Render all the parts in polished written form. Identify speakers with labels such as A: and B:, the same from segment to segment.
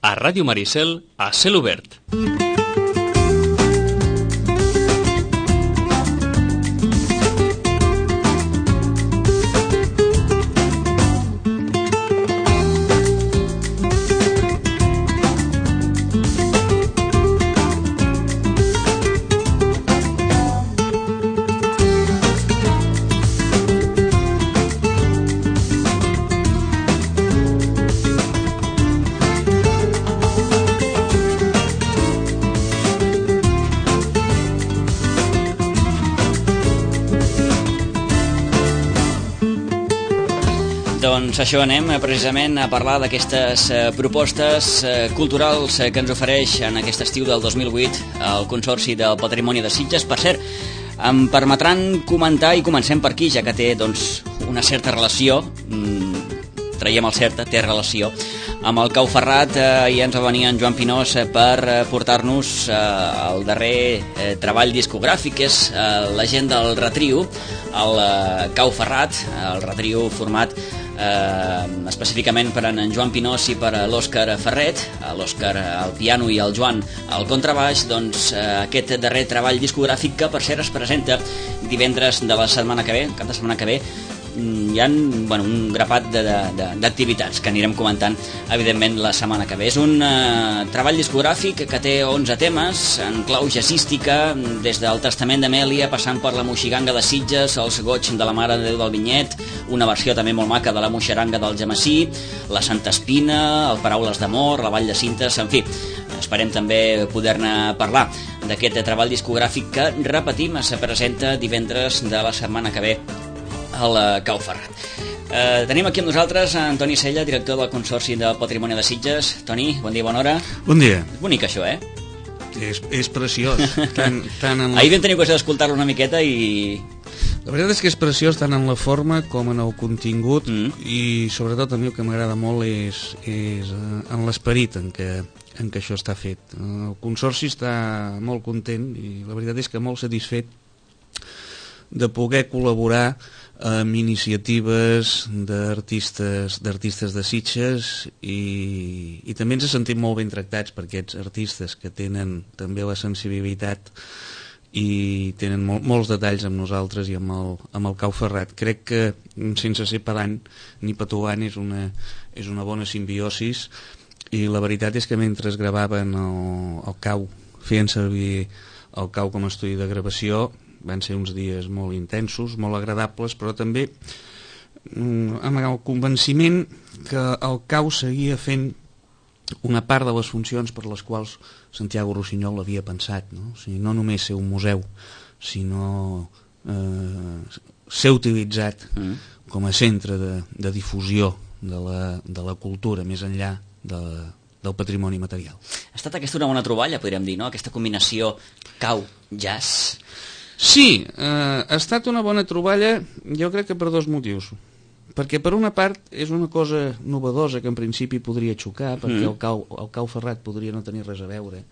A: a Ràdio Maricel, a Cel Obert.
B: Doncs això, anem precisament a parlar d'aquestes propostes culturals que ens ofereix en aquest estiu del 2008 el Consorci del Patrimoni de Sitges. Per cert, em permetran comentar, i comencem per aquí, ja que té doncs, una certa relació, traiem el certa, té relació, amb el Cau Ferrat. I ens va venir en Joan Pinós per portar-nos el darrer treball discogràfic, que és la gent del Retrio, el Cau Ferrat, el Retrio format específicament per en Joan Pinós i per l'Òscar Ferret, l'Òscar al piano i el Joan al contrabaix. Doncs aquest darrer treball discogràfic, que per cert es presenta divendres de la setmana que ve, cap de setmana que ve. Hi ha un grapat d'activitats que anirem comentant evidentment la setmana que ve. És un treball discogràfic que té 11 temes en clau jazzística, des del Testament d'Amèlia passant per la Moixiganga de Sitges, els Goig de la Mare de Déu del Vinyet, una versió també molt maca de la Moixeranga del Gemessí, la Santa Espina, el Paraules d'Amor, la Vall de Cintes. En fi, esperem també poder-ne parlar d'aquest treball discogràfic que, repetim, se presenta divendres de la setmana que ve al Cau Ferrat. Tenim aquí amb nosaltres Antoni Sella, director del Consorci del Patrimoni de Sitges. Toni, bon dia, bona hora.
C: Bon dia.
B: És bonic això, eh?
C: És preciós.
B: Ahir vam tenir ocasió d'escoltar-lo una miqueta i...
C: La veritat és que és preciós tant en la forma com en el contingut, i sobretot a mi el que m'agrada molt és en l'esperit en què això està fet. El Consorci està molt content i la veritat és que molt satisfet de poder col·laborar amb iniciatives d'artistes de Sitges, i també ens sentim molt ben tractats per aquests artistes que tenen també la sensibilitat i tenen molts detalls amb nosaltres i amb el Cau Ferrat. Crec que, sense ser pedant ni petulant, és una bona simbiosis, i la veritat és que mentre gravaven el Cau, feien servir el Cau com a estudi de gravació, van ser uns dies molt intensos, molt agradables, però també amb el convenciment que el Cau seguia fent una part de les funcions per les quals Santiago Rossinyol l'havia pensat, no? O sigui, no només ser un museu, sinó ser utilitzat com a centre de difusió de la cultura, més enllà del patrimoni material.
B: Ha estat aquesta una bona troballa, podríem dir, no? Aquesta combinació Cau-jazz.
C: Sí, ha estat una bona troballa, jo crec que per dos motius. Perquè per una part és una cosa novedosa que en principi podria xocar, perquè el Cau Ferrat podria no tenir res a veure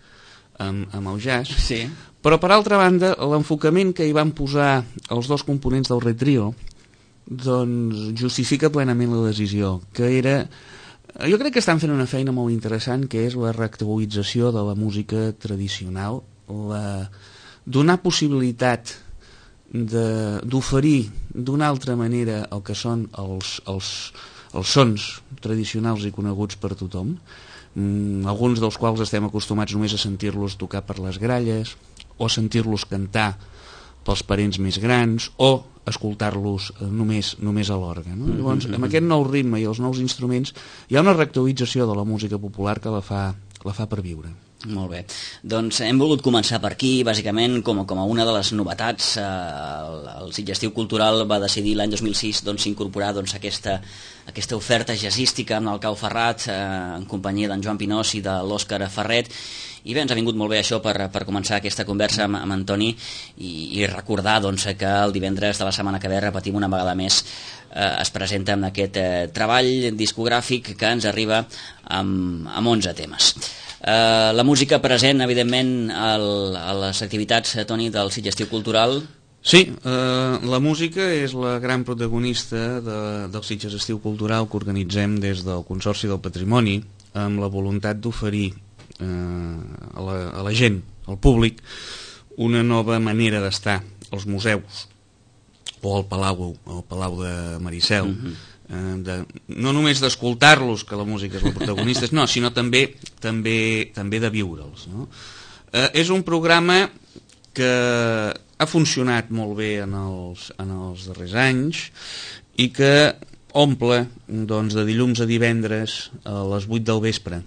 C: amb el jazz,
B: sí. Però
C: per altra banda l'enfocament que hi van posar els dos components del Retrio doncs justifica plenament la decisió, que era... Jo crec que estan fent una feina molt interessant, que és la reactualització de la música tradicional, donar possibilitat d'oferir d'una altra manera el que són els sons tradicionals i coneguts per tothom, alguns dels quals estem acostumats només a sentir-los tocar per les gralles o sentir-los cantar pels parents més grans o escoltar-los només a l'orgue, no? Llavors, amb aquest nou ritme i els nous instruments hi ha una reactualització de la música popular que la fa per viure.
B: Molt bé, doncs hem volgut començar per aquí, bàsicament com a una de les novetats. El Sitges Estiu Cultural va decidir l'any 2006 incorporar aquesta oferta jazzística amb el Cau Ferrat en companyia d'en Joan Pinós i de l'Òscar Ferret, i bé, ens ha vingut molt bé això per començar aquesta conversa amb Antoni i recordar que el divendres de la setmana que ve, repetim una vegada més, es presenta amb aquest treball discogràfic que ens arriba amb 11 temes. La música present, evidentment, a les activitats, Toni, del Sitges Estiu Cultural.
C: Sí, la música és la gran protagonista del Sitges Estiu Cultural que organitzem des del Consorci del Patrimoni, amb la voluntat d'oferir a la gent, al públic, una nova manera d'estar als museus o al Palau de Maricel, no només d'escoltar-los, que la música és la protagonista, no, sinó també de viure'ls, no? És un programa que ha funcionat molt bé en els darrers anys i que omple, doncs, de dilluns a divendres a les 8 del vespre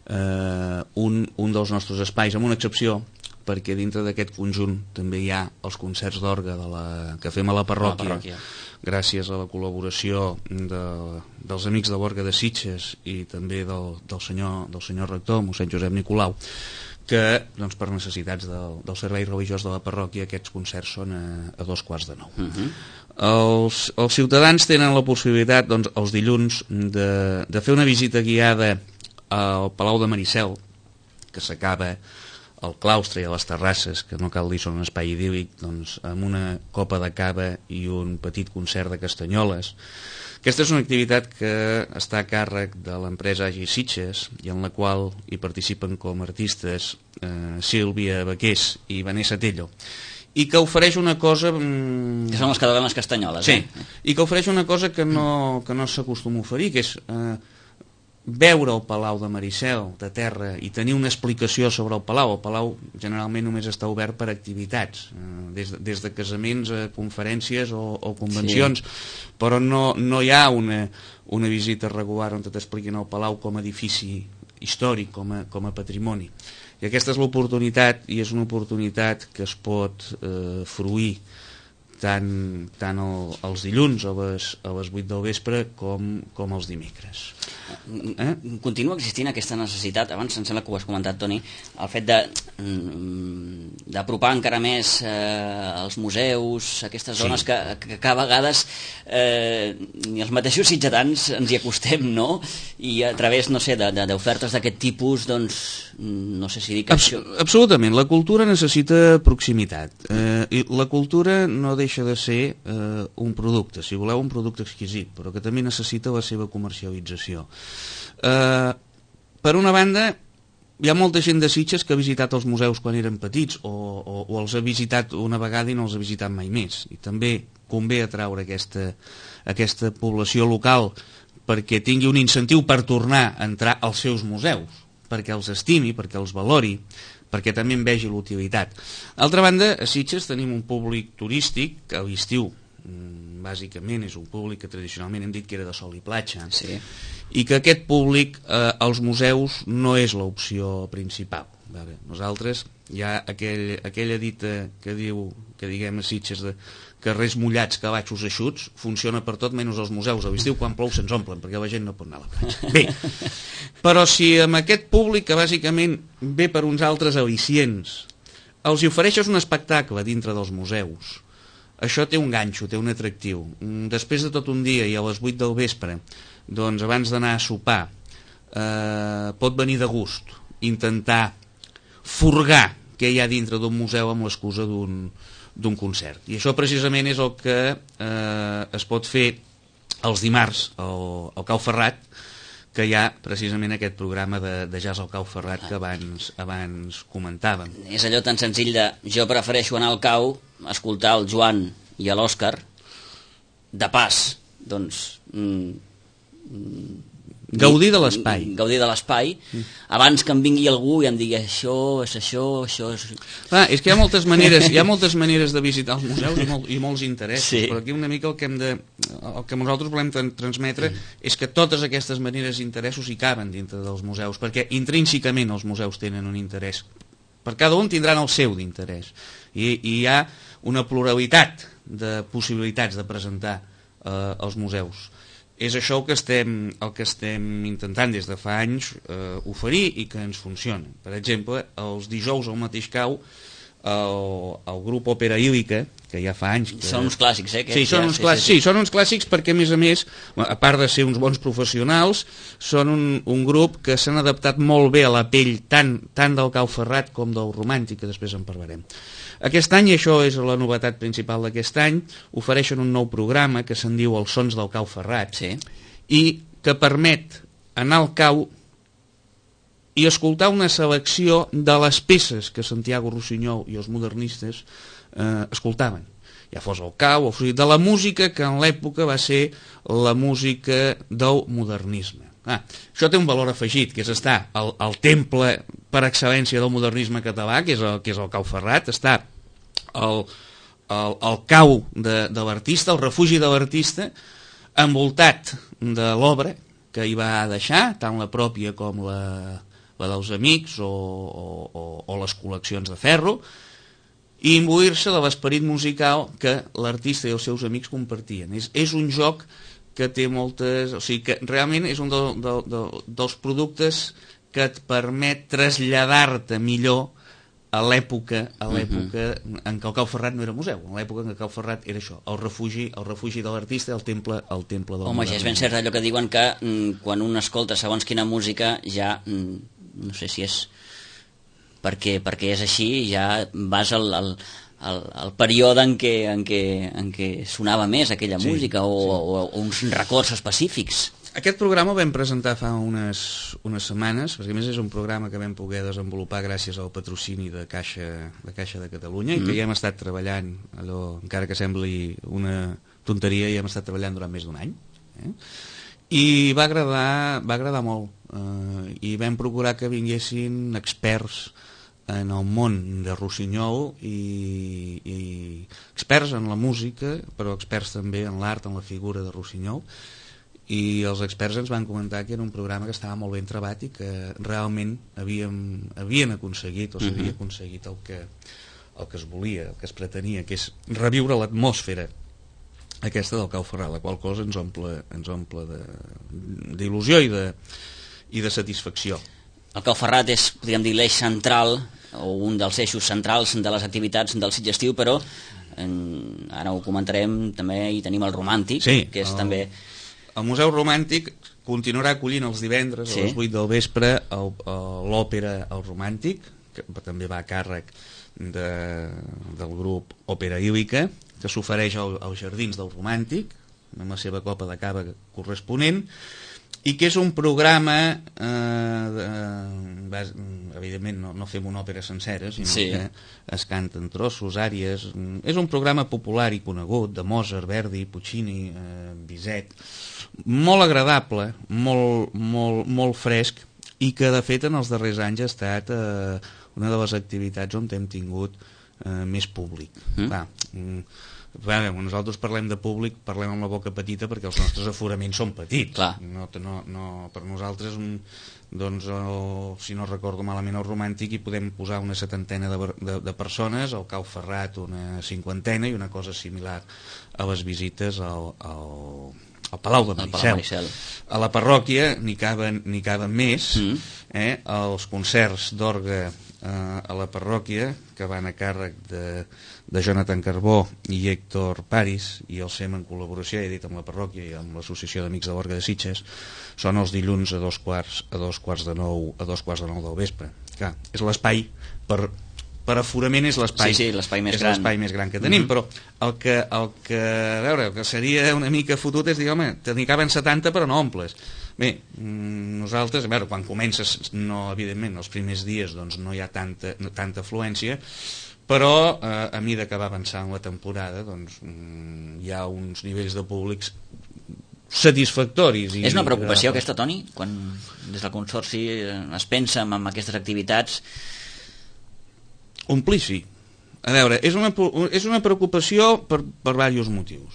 C: un dels nostres espais, amb una excepció, perquè dintre d'aquest conjunt també hi ha els concerts d'orgue que fem a la parròquia, gràcies a la col·laboració dels amics de l'Orgue de Sitges i també del senyor rector, mossèn Josep Nicolau, que doncs, per necessitats del servei religiós de la parròquia aquests concerts són a 8:45. Els ciutadans tenen la possibilitat, doncs, els dilluns de fer una visita guiada al Palau de Maricel, que s'acaba al claustre i a les terrasses, que no cal dir són un espai idíl·lic, doncs, amb una copa de cava i un petit concert de castanyoles. Aquesta és una activitat que està a càrrec de l'empresa Agi Sitges i en la qual hi participen com a artistes Sílvia Baqués i Vanessa Tello, i que ofereix una cosa...
B: Que són les que donen les castanyoles,
C: sí, i que ofereix una cosa que no s'acostuma a oferir, que és veure el Palau de Maricel de terra i tenir una explicació sobre el Palau. El Palau generalment només està obert per activitats, des de casaments a conferències o convencions, sí. Però no hi ha una visita regular on t'expliquin el Palau com a edifici històric, com a patrimoni. I aquesta és l'oportunitat, i és una oportunitat que es pot fruir tant els dilluns a les 8 del vespre com els dimecres.
B: Continua existint aquesta necessitat, abans em sembla que ho has comentat, Toni, el fet d'apropar encara més als museus, aquestes zones que a vegades ni els mateixos sitgetans ens hi acostem, no? I a través, no sé, d'ofertes d'aquest tipus, doncs, no sé si dic...
C: Absolutament, la cultura necessita proximitat, i la cultura no deixa de ser un producte, si voleu un producte exquisit, però que també necessita la seva comercialització. Per una banda, hi ha molta gent de Sitges que ha visitat els museus quan eren petits o els ha visitat una vegada i no els ha visitat mai més, i també convé atraure aquesta població local perquè tingui un incentiu per tornar a entrar als seus museus, perquè els estimi, perquè els valori, perquè també en vegi l'utilitat. D'altra banda, a Sitges tenim un públic turístic que a l'estiu bàsicament és un públic que tradicionalment hem dit que era de sol i platja, sí. I que aquest públic als museus no és l'opció principal. Nosaltres hi ha aquella dita que diu, que diguem a Sitges, de carrers mullats, calatxos eixuts, funciona per tot menys als museus. A l'estiu quan plou se'ns omplen perquè la gent no pot anar a la platja. Bé, però si amb aquest públic que bàsicament ve per uns altres al·licients els hi ofereixes un espectacle dintre dels museus, això té un ganxo, té un atractiu. Després de tot un dia i a les 8 del vespre, doncs abans d'anar a sopar, pot venir de gust intentar furgar què hi ha dintre d'un museu amb l'excusa d'un concert. I això precisament és el que es pot fer els dimarts al Cau Ferrat, que hi ha precisament aquest programa de jazz al Cau Ferrat que abans comentàvem.
B: És allò tan senzill de jo prefereixo anar al Cau, escoltar el Joan i l'Òscar, de pas, doncs...
C: Gaudir de l'espai.
B: Gaudir de l'espai, abans que em vingui algú i em digui això és això, això és...
C: Clar, és que hi ha moltes maneres de visitar els museus i molts interessos, sí. Però aquí una mica el que nosaltres volem transmetre és que totes aquestes maneres d'interessos hi caben dintre dels museus, perquè intrínsecament els museus tenen un interès. Per cada un tindran el seu d'interès. I hi ha una pluralitat de possibilitats de presentar els museus. És això el que estem intentant des de fa anys oferir i que ens funciona. Per exemple, els dijous al mateix Cau, el grup Òpera Ílica, que ja fa anys...
B: Són uns clàssics,
C: Sí, són uns clàssics perquè, a més, a part de ser uns bons professionals, són un grup que s'han adaptat molt bé a la pell tant del Cau Ferrat com del romàntic, que després en parlarem. Aquest any, i això és la novetat principal d'aquest any, ofereixen un nou programa que se'n diu Els Sons del Cau Ferrat, sí. I que permet anar al Cau i escoltar una selecció de les peces que Santiago Rossinyol i els modernistes escoltaven, ja fos el cau, de la música que en l'època va ser la música del modernisme. Això té un valor afegit, que és estar al temple per excel·lència del modernisme català, que és el Cau Ferrat, està el cau de l'artista, el refugi de l'artista, envoltat de l'obra que hi va deixar, tant la pròpia com la dels amics o les col·leccions de ferro, i imbuir-se de l'esperit musical que l'artista i els seus amics compartien. És un joc que té moltes... O sigui que realment és un dels productes que et permet traslladar-te millor a l'època en què el Cau Ferrat no era museu, en l'època en què el Cau Ferrat era això, el refugi de l'artista, el temple del...
B: Home, ja és ben cert allò que diuen que quan un escolta segons quina música ja, no sé si és perquè és així, ja vas al període en què sonava més aquella música o uns records específics.
C: Aquest programa el vam presentar fa unes setmanes, perquè a més és un programa que vam poder desenvolupar gràcies al patrocini de Caixa de Catalunya i que ja hem estat treballant, allò, encara que sembli una tonteria, ja hem estat treballant durant més d'un any. I va agradar molt. I vam procurar que vinguessin experts en el món de Rossinyol i experts en la música, però experts també en l'art, en la figura de Rossinyol, i els experts ens van comentar que era un programa que estava molt ben trebat i que realment havien aconseguit o s'havia aconseguit el que es volia, el que es pretenia, que és reviure l'atmosfera aquesta del Cau Ferrat, la qual cosa ens omple d'il·lusió i de satisfacció.
B: El Cau Ferrat és, podríem dir, l'eix central o un dels eixos centrals de les activitats del Sitges Estiu, però ara ho comentarem, també hi tenim el Romàntic, que és també...
C: El Museu Romàntic continuarà acollint els divendres a les 8 del vespre l'òpera El Romàntic, que també va a càrrec del grup Òpera Ílica, que s'ofereix als Jardins del Romàntic, amb la seva copa de cava corresponent, i que és un programa, evidentment no fem una òpera sencera, sinó que es canten trossos, àries. És un programa popular i conegut, de Mozart, Verdi, Puccini, Bizet, molt agradable, molt fresc, i que de fet en els darrers anys ha estat una de les activitats on hem tingut més públic. Nosaltres parlem de públic, parlem amb la boca petita perquè els nostres aforaments són petits. Per nosaltres, doncs, si no recordo malament, el Romàntic hi podem posar una 70 de persones, al Cau Ferrat una 50 i una cosa similar a les visites al Palau de Maricel. A la parròquia n'hi caben més, els concerts d'orgue a la parròquia, que van a càrrec de Jonathan Carbó i Héctor Paris, i el SEM en col·laboració, he dit, amb la parròquia i amb l'Associació d'Amics de l'Orgue de Sitges, són els dilluns a dos quarts de nou del vespre. Clar, és l'espai per aforament, és l'espai més gran que tenim, però el que seria una mica fotut és dir, home, te n'hi caben 70 però no omples. Bé, nosaltres, quan comences, evidentment, els primers dies no hi ha tanta afluència, però a mesura que va avançant la temporada hi ha uns nivells de públics satisfactoris.
B: És una preocupació aquesta, Toni, quan des del Consorci es pensa en aquestes activitats?
C: Omplir, sí. A veure, és una preocupació per diversos motius.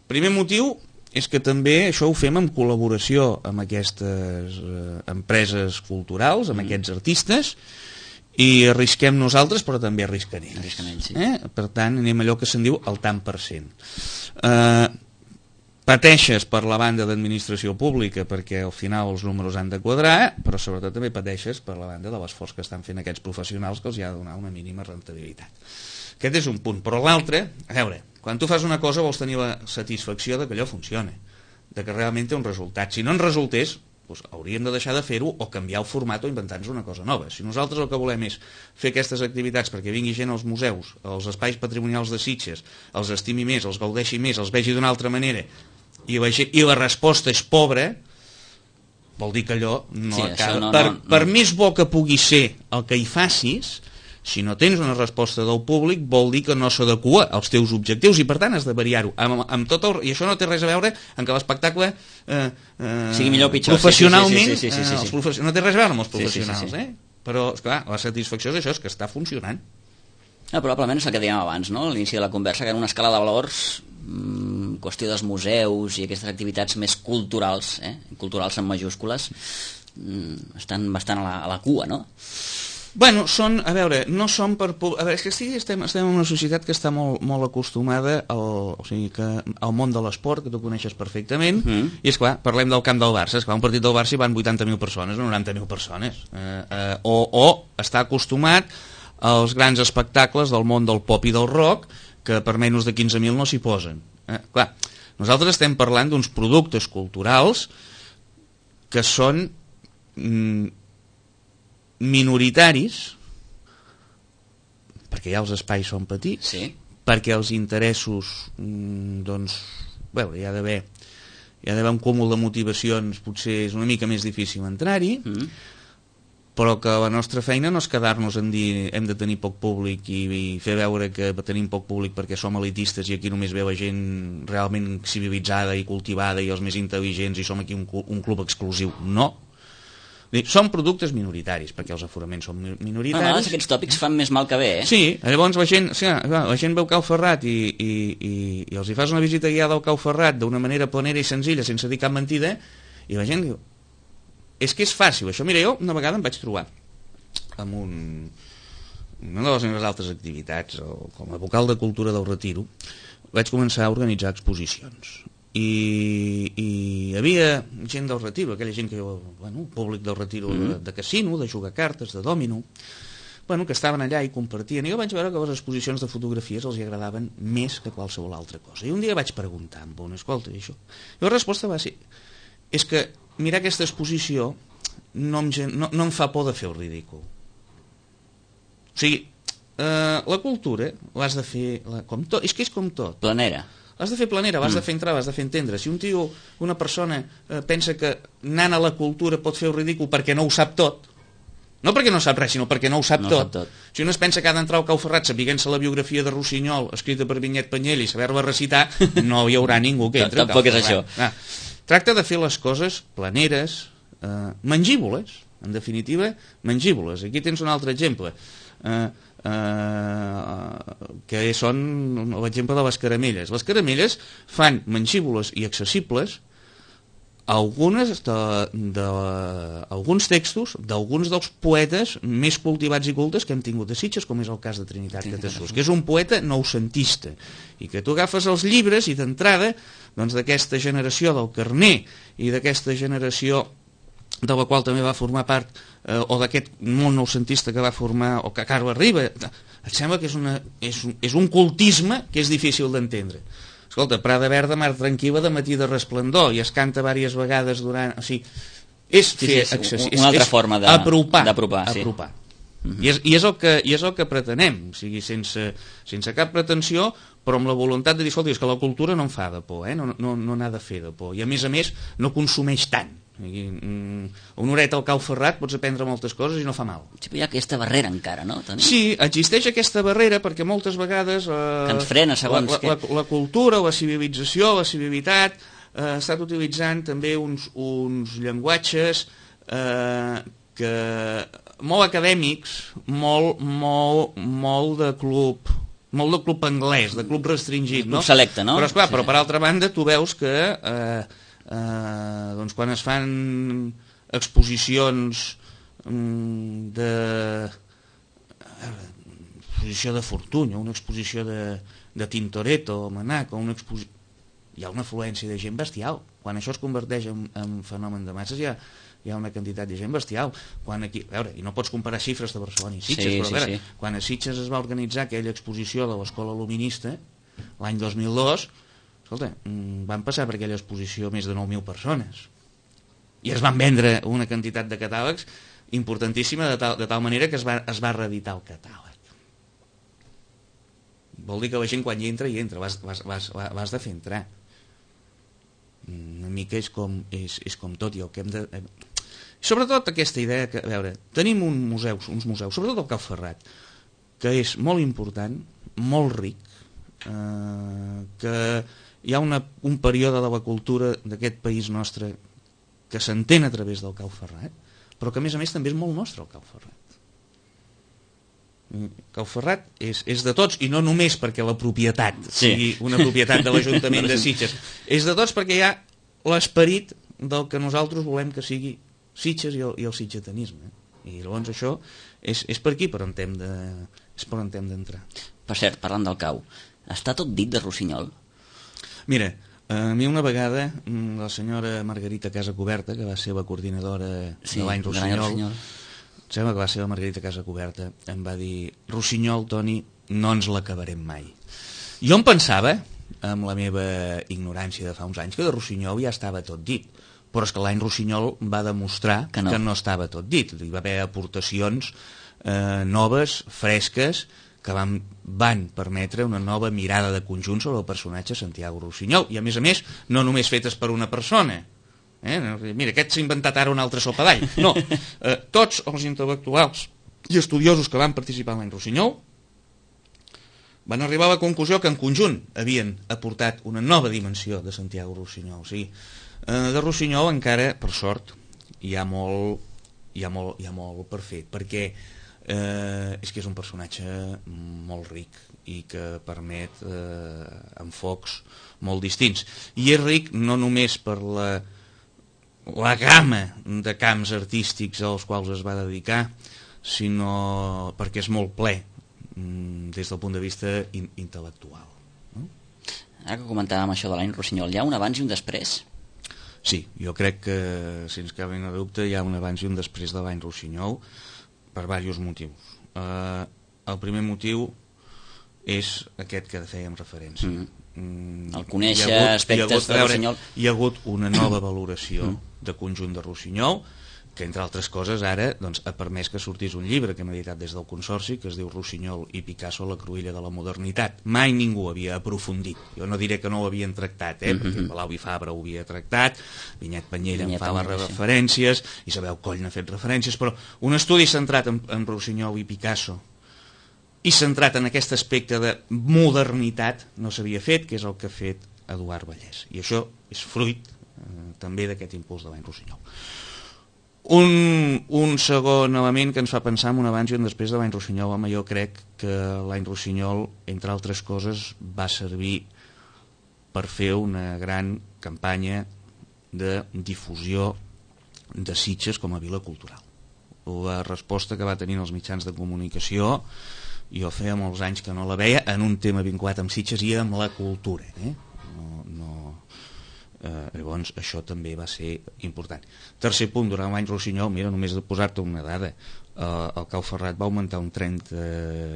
C: Primer motiu és que també això ho fem en col·laboració amb aquestes empreses culturals, amb aquests artistes, i arrisquem nosaltres, però també arrisquen ells. Per tant, anem allò que se'n diu el tant per cent. Pateixes per la banda d'administració pública perquè al final els números han de quadrar, però sobretot també pateixes per la banda de l'esforç que estan fent aquests professionals que els ha de donar una mínima rentabilitat. Aquest és un punt. Però l'altre, a veure, quan tu fas una cosa vols tenir la satisfacció de que allò funciona, de que realment té un resultat. Si no en resultés, doncs hauríem de deixar de fer-ho o canviar el format o inventar-nos una cosa nova. Si nosaltres el que volem és fer aquestes activitats perquè vingui gent als museus, als espais patrimonials de Sitges, els estimi més, els gaudeixi més, els vegi d'una altra manera, i la resposta és pobra, vol dir que allò no
B: Sí,
C: acaba.
B: no.
C: Per més bo que pugui ser el que hi facis, si no tens una resposta del públic, vol dir que no s'adequa als teus objectius, i per tant has de variar-ho. I això no té res a veure amb que l'espectacle
B: sigui millor o pitjor.
C: professionalment,
B: Sí.
C: no té res a veure amb els professionals,
B: Sí.
C: Però, esclar, la satisfacció és això, és que està funcionant.
B: Probablement és el que dèiem abans, no? A l'inici de la conversa, que en una escala de valors, qüestió dels museus i aquestes activitats més culturals, culturals en majúscules, estan bastant a la cua, no?
C: Bueno, a veure, no són per... A veure, és que estem en una societat que està molt acostumada al món de l'esport, que tu coneixes perfectament, i és clar, parlem del camp del Barça, és clar, un partit del Barça hi van 80.000 persones, no 90.000 persones, o està acostumat als grans espectacles del món del pop i del rock, que per menys de 15.000 no s'hi posen. Clar, nosaltres estem parlant d'uns productes culturals que són minoritaris, perquè ja els espais són petits, perquè els interessos, doncs, veure, hi ha d'haver un cúmul de motivacions, potser és una mica més difícil entrar-hi, però que la nostra feina no és quedar-nos en dir hem de tenir poc públic i fer veure que tenim poc públic perquè som elitistes i aquí només veu gent realment civilitzada i cultivada i els més intel·ligents i som aquí un club exclusiu. No. Són productes minoritaris, perquè els aforaments són minoritaris.
B: A vegades aquests tòpics fan més mal que bé,
C: Sí, llavors la gent veu Cau Ferrat i els hi fas una visita guiada al Cau Ferrat d'una manera planera i senzilla, sense dir cap mentida, i la gent diu, és que és fàcil, això. Mira, jo una vegada em vaig trobar amb una de les meves altres activitats, com a vocal de cultura del Retiro, vaig començar a organitzar exposicions. I hi havia gent del Retiro, aquella gent que, públic del Retiro de casino, de jugar cartes, de dòmino, que estaven allà i compartien, i jo vaig veure que les exposicions de fotografies els agradaven més que qualsevol altra cosa. I un dia vaig preguntar amb un, escolta, i això? I la resposta va ser, és que mirar aquesta exposició no em fa por de fer el ridícul. O sigui, la cultura l'has de fer com tot, és que és com tot.
B: Planera.
C: L'has de fer planera, l'has de fer entrar, l'has de fer entendre. Si un tio, una persona, pensa que anant a la cultura pot fer el ridícul perquè no ho sap tot, no perquè no sap res, sinó perquè no ho sap tot. Si un es pensa que ha d'entrar al Cau Ferrat sapiguent-se la biografia de Rossinyol, escrita per Vinyet Penyell, i saber-la recitar, no hi haurà ningú que entri al Cau Ferrat.
B: Tampoc és això.
C: Tracta de fer les coses planeres, mangívoles, en definitiva, mangívoles. Aquí tens un altre exemple, que són l'exemple de les caramelles. Les caramelles fan mangívoles i accessibles alguns textos d'alguns dels poetes més cultivats i cultes que hem tingut a Sitges, com és el cas de Trinitat Catasús, que és un poeta noucentista, i que tu agafes els llibres i d'entrada, doncs, d'aquesta generació del Carner i d'aquesta generació de la qual també va formar part, o d'aquest món noucentista que va formar, o que Carles Riba, et sembla que és un cultisme que és difícil d'entendre. Escolta, Prada Verda, Mar Tranquil·la, de Matí de Resplendor, i es canta diverses vegades durant... O sigui, és fer accessible,
B: una altra forma d'apropar.
C: I és el que pretenem, o sigui, sense cap pretensió, però amb la voluntat de dir, escolta, és que la cultura no em fa de por, no n'ha de fer de por, i a més no consumeix tant. Una horeta al Cau Ferrat pots aprendre moltes coses i no fa mal.
B: Sí, però hi ha aquesta barrera encara, no?
C: Sí, existeix aquesta barrera perquè moltes vegades
B: que ens frena, segons
C: la cultura, la civilització, la civilitat ha estat utilitzant també uns llenguatges que molt acadèmics, molt de club anglès, de club restringit, no?
B: Club selecte, no?
C: Però, esclar, però per altra banda tu veus que doncs quan es fan exposicions exposició de Fortuny, una exposició de Tintoretto o Manac, hi ha una afluència de gent bestial. Quan això es converteix en fenomen de masses hi ha una quantitat de gent bestial. Quan aquí, a veure, i no pots comparar xifres de Barcelona i Sitges, però a veure, quan a Sitges es va organitzar aquella exposició de l'Escola Luminista l'any 2002, escolta, van passar per aquella exposició més de 9.000 persones i es van vendre una quantitat de catàlegs importantíssima de tal manera que es va reeditar el catàleg. Vol dir que la gent quan hi entra, l'has de fer entrar. Una mica és com tot, i el que hem de... Sobretot aquesta idea que, a veure, tenim uns museus, sobretot el Cau Ferrat, que és molt important, molt ric, que hi ha un període de la cultura d'aquest país nostre que s'entén a través del Cau Ferrat, però que a més també és molt nostre el Cau Ferrat. Cau Ferrat és de tots, i no només perquè la propietat sigui una propietat de l'Ajuntament de Sitges, és de tots perquè hi ha l'esperit del que nosaltres volem que sigui Sitges i el sitgetanisme, i llavors això és per aquí per on hem d'entrar.
B: Per cert, parlant del Cau, està tot dit de Rossinyol?
C: Mira, a mi una vegada la senyora Margarita Casacoberta, que va ser la coordinadora de l'any Rossinyol, sembla que va ser la Margarita Casacoberta, em va dir: Rossinyol, Toni, no ens l'acabarem mai. Jo em pensava, amb la meva ignorància de fa uns anys, que de Rossinyol ja estava tot dit, però és que l'any Rossinyol va demostrar que no estava tot dit. Hi va haver aportacions noves, fresques, que van permetre una nova mirada de conjunt sobre el personatge Santiago Rossinyol, i a més, no només fetes per una persona. Mira, aquest s'ha inventat ara un altre sopa d'all. No, tots els intel·lectuals i estudiosos que van participar en l'any Rossinyol van arribar a la conclusió que en conjunt havien aportat una nova dimensió de Santiago Rossinyol. O sigui, de Rossinyol encara, per sort, hi ha molt per fer, perquè és que és un personatge molt ric i que permet enfocs molt distints. I és ric no només per la gamma de camps artístics als quals es va dedicar, sinó perquè és molt ple des del punt de vista intel·lectual.
B: Ara que comentàvem això de l'any Rossinyol, hi ha un abans i un després?
C: Sí, jo crec que, sense cap mena de dubte, hi ha un abans i un després de l'any Rossinyol, per diversos motius. El primer motiu és aquest que fèiem referència.
B: El conèixer aspectes de Rossinyol.
C: Hi ha hagut una nova valoració de conjunt de Rossinyol, que entre altres coses ara ha permès que sortís un llibre que hem editat des del Consorci, que es diu Rossinyol i Picasso, la cruïlla de la modernitat. Mai ningú havia aprofundit. Jo no diré que no ho havien tractat, perquè Palau i Fabra ho havia tractat, Vinyet Panyella en fa les referències, Isabel Coll n'ha fet referències, però un estudi centrat en Rossinyol i Picasso i centrat en aquest aspecte de modernitat no s'havia fet, que és el que ha fet Eduard Vallès. I això és fruit també d'aquest impuls de l'any Rossinyol. Un segon element que ens fa pensar en un abans i un després de l'any Rossinyol. Home, jo crec que l'any Rossinyol, entre altres coses, va servir per fer una gran campanya de difusió de Sitges com a vila cultural. La resposta que va tenir els mitjans de comunicació, jo feia molts anys que no la veia, en un tema vinculat amb Sitges i amb la cultura. Llavors això també va ser important. Tercer punt, durant l'any Rossinyol, mira, només de posar-te una dada, el Cau Ferrat va augmentar un 30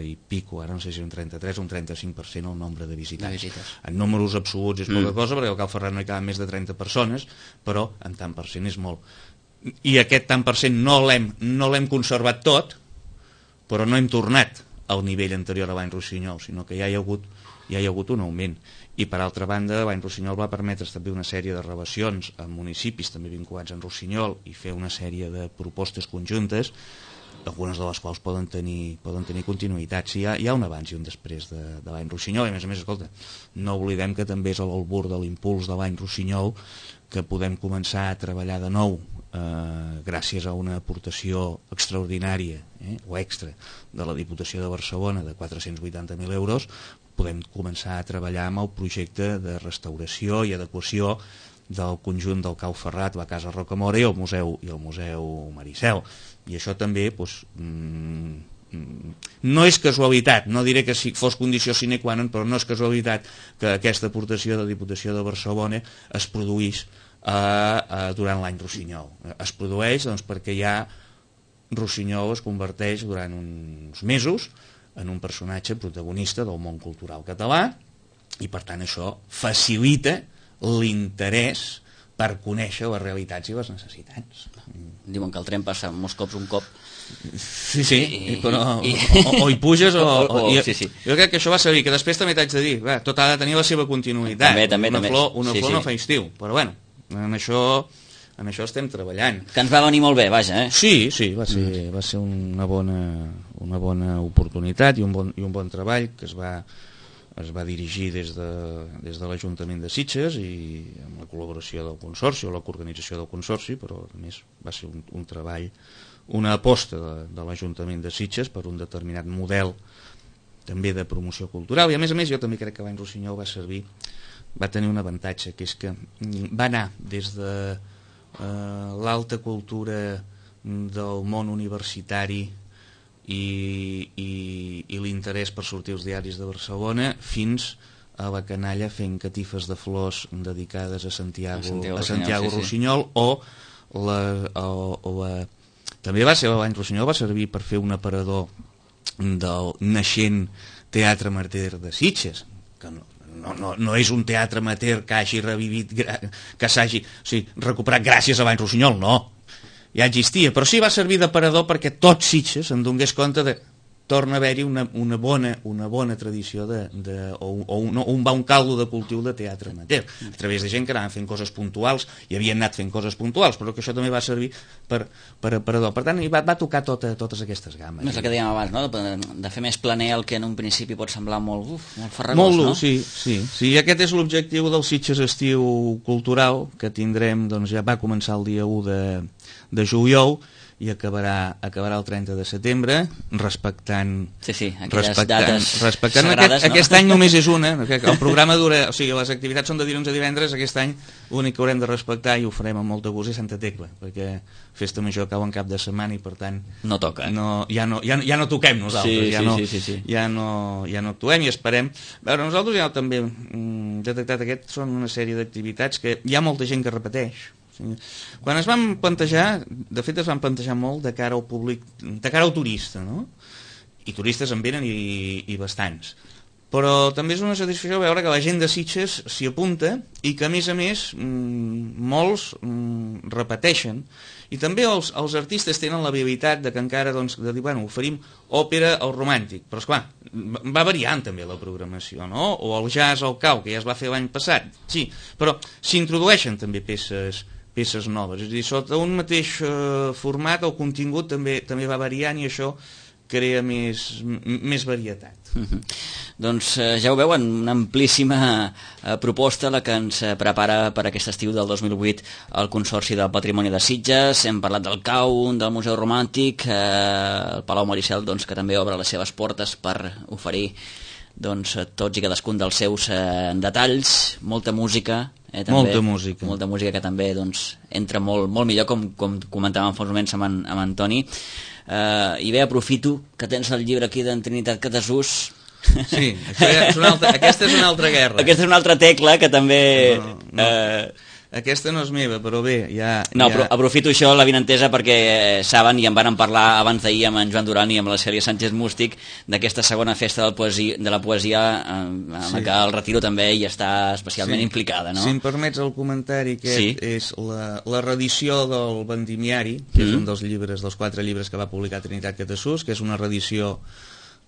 C: i pico, ara no sé si un 33 o un 35% el nombre de visitants. En números absoluts és poca cosa, perquè al Cau Ferrat no hi caben més de 30 persones, però en tant per cent és molt. I aquest tant per cent no l'hem conservat tot, però no hem tornat al nivell anterior a l'any Rossinyol, sinó que ja hi ha hagut un augment. I per altra banda, l'any Rossinyol va permetre establir una sèrie de relacions amb municipis també vinculats en Rossinyol i fer una sèrie de propostes conjuntes, algunes de les quals poden tenir continuïtat. Sí, hi ha un abans i un després de l'any Rossinyol, i a més, escolta, no oblidem que també és a l'albur de l'impuls de l'any Rossinyol que podem començar a treballar de nou gràcies a una aportació extraordinària o extra de la Diputació de Barcelona de 480.000 euros. Podem començar a treballar amb el projecte de restauració i adequació del conjunt del Cau Ferrat, la Casa Rocamora i el Museu Maricel. I això també no és casualitat, no diré que fos condició sine qua non, però no és casualitat que aquesta aportació de la Diputació de Barcelona es produís durant l'any Rossinyol. Es produeix perquè ja Rossinyol es converteix durant uns mesos en un personatge protagonista del món cultural català i per tant això facilita l'interès per conèixer les realitats i les necessitats.
B: Diuen que el tren passa molts cops un cop.
C: Sí, però o hi puges o
B: sí.
C: Jo crec que això va servir, que després també t'haig de dir, tot ha de tenir la seva continuïtat.
B: També.
C: Una flor no fa estiu, però bueno, en això amb això estem treballant.
B: Que ens va venir molt bé, vaja,
C: Sí, va ser una bona oportunitat i un bon treball que es va dirigir des de l'Ajuntament de Sitges i amb la col·laboració del Consorci o la coorganització del Consorci, però a més va ser un treball, una aposta de l'Ajuntament de Sitges per un determinat model també de promoció cultural, i a més jo també crec que l'any Rossinyol va tenir un avantatge, que és que va anar des de l'alta cultura del món universitari i l'interès per sortir als diaris de Barcelona fins a la canalla fent catifes de flors dedicades a Santiago Rossinyol, també va ser l'any Rossinyol, va servir per fer un aparador del naixent Teatre Amateur de Sitges, que no és un teatre amateur que hagi revivit, que s'hagi recuperat gràcies a l'any Rossinyol, no, ja existia, però sí va servir d'aparador perquè tot Sitges en donés compte de torna a haver-hi una bona tradició un bon caldo de cultiu de teatre amateur, a través de gent que anaven fent coses puntuals i havien anat fent coses puntuals, però que això també va servir per aparador. Per tant, va tocar totes aquestes gammes.
B: És el que dèiem abans, no? De fer més planer el que en un principi pot semblar molt farragós, no?
C: Sí, aquest és l'objectiu del Sitges Estiu Cultural, que tindrem, doncs ja va començar el dia 1 de juliol, i acabarà el 30 de setembre, respectant
B: aquelles dates sagrades,
C: no? Aquest any només és una, el programa dura, o sigui, les activitats són de dilluns a divendres, aquest any l'únic que haurem de respectar, i ho farem amb molta gust, és Santa Tecla, perquè Festa Major cau en cap de setmana i per tant
B: no toca.
C: Ja no toquem nosaltres, ja no actuem i esperem. Veure, nosaltres ja també detectat són una sèrie d'activitats que hi ha molta gent que repeteix. Quan es van plantejar, de fet es van plantejar molt de cara al públic, de cara al turista, no? I turistes en venen i bastants, però també és una satisfacció veure que la gent de Sitges s'hi apunta i que a més molts repeteixen, i també els artistes tenen l'habilitat de que encara de dir, bueno, oferim òpera o romàntic, però esclar, va variant també la programació, no? O el jazz o el cau, que ja es va fer l'any passat, sí, però s'introdueixen també peces noves, és a dir, sota un mateix format el contingut també va variant i això crea més varietat.
B: Doncs ja ho veuen, una amplíssima proposta la que ens prepara per aquest estiu del 2008 el Consorci del Patrimoni de Sitges. Hem parlat del CAU, del Museu Romàntic, el Palau Maricel, doncs, que també obre les seves portes per oferir tots i cadascun dels seus detalls, molta música, també, molta música que també entra molt millor, com comentàvem fa uns moments amb Antoni. I bé, aprofito que tens el llibre aquí d'en Trinitat Catasús.
C: Sí, aquesta és una altra guerra.
B: Aquesta és una altra tecla que també...
C: Aquesta no és meva, però bé,
B: però aprofito això, la vinentesa, perquè saben, i en van parlar abans d'ahir amb en Joan Duran i amb la Cèlia Sánchez Mústic, d'aquesta segona festa de la poesia, amb la que el Retiro també hi està especialment implicada, no?
C: Si em permets el comentari, és la reedició del Vendimiari, que és un dels 4 llibres que va publicar Trinitat Catasús, que és una reedició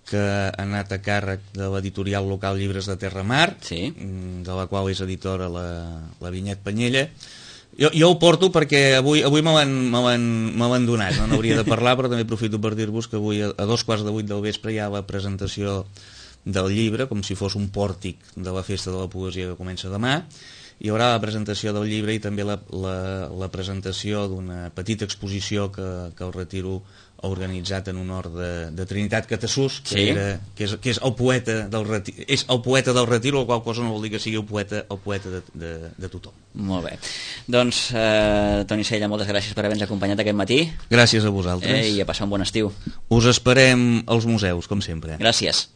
C: que ha anat a càrrec de l'editorial local Llibres de Terramar, de la qual és editora la Vinyet Panyella. Jo ho porto perquè avui me l'han donat, no n'hauria de parlar, però també aprofito per dir-vos que avui a 7:15 del vespre hi ha la presentació del llibre, com si fos un pòrtic de la Festa de la Poesia que comença demà. Hi haurà la presentació del llibre i també la presentació d'una petita exposició que el Retiro ha organitzat en honor de Trinitat Catasús, que és el poeta del Retiro, la qual cosa no vol dir que sigui el poeta de tothom.
B: Molt bé. Doncs, Toni Sella, moltes gràcies per haver-nos acompanyat aquest matí.
C: Gràcies a vosaltres.
B: I a passar un bon estiu.
C: Us esperem als museus, com sempre.
B: Gràcies.